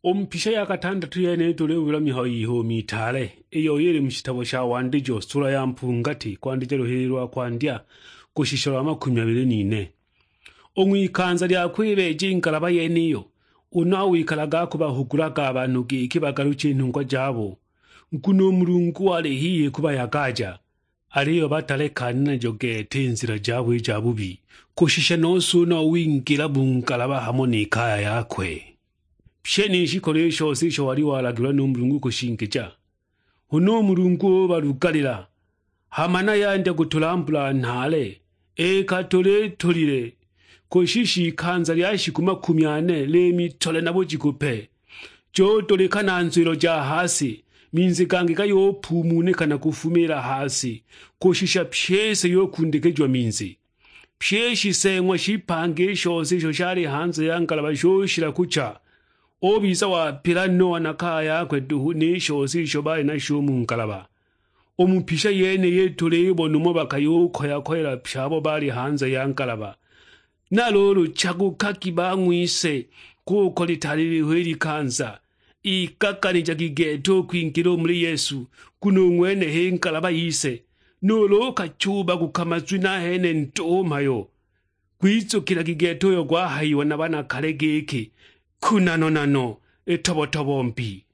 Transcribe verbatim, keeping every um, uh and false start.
U mu pisha ya katandatu yene tulibula mihayo y'ihumi itaale, iyo ili mu shitabo sha Wandijo, sula ya mpungati, kwandija luhili lwa kwandya kushisha lwa makumi abili n'ine. U ng'wikanza lya kwibeeja i ngalaba yeniyo, u Noa wikalaga akubahugulaga a banhu giki bagaluche i nhungwa jabo, nguno u Mulungu wali hihi kubayagaja. Aliyo batalekane najo gete i nzila jabo i ja bubi, kushisha nose u Noa wingila mu ngalaba hamo ni kaya yakwe. Pye ni shikolo i shose isho wali walagilwa nu Mulungu kushingija. Huna u Mulungu ubalugalila, hama na yandya kutula mbula nhaale, ikatula itulile, kushisha ikanza lya shiku makumi ane lya mitole na bujiku pe. Judulika na nzwilo ja ha si, minzi gangi gayupuumunika na kufumiila ha si, kushisha pyi i si yukundikijiwa minzi. Pyi i shiseeng'wa shipange i shose isho shali hanze ya ngalaba shushila kucha. Ubiza wapila Noa na kaya yakwe duhu ni shose isho baali nasho u mu ngalaba. U mu pisha yeniyi tulibona umo bakayukoya-koyela pye abo baali hanze ya ngalaba. Na luulu chagukagi bang'wise, kuko litaali liho i likanza. Igaganijagi gete u kwingila u muli Yesu, nguno u ng'wene h'i ngalaba yise. Nuulu ukachuubaguka mazwi nahene ndo u mhayo, gwizukilagi gete uyo gwahayiwa na bana kale giki, "Kunano-nano, itobo-tobo mbi."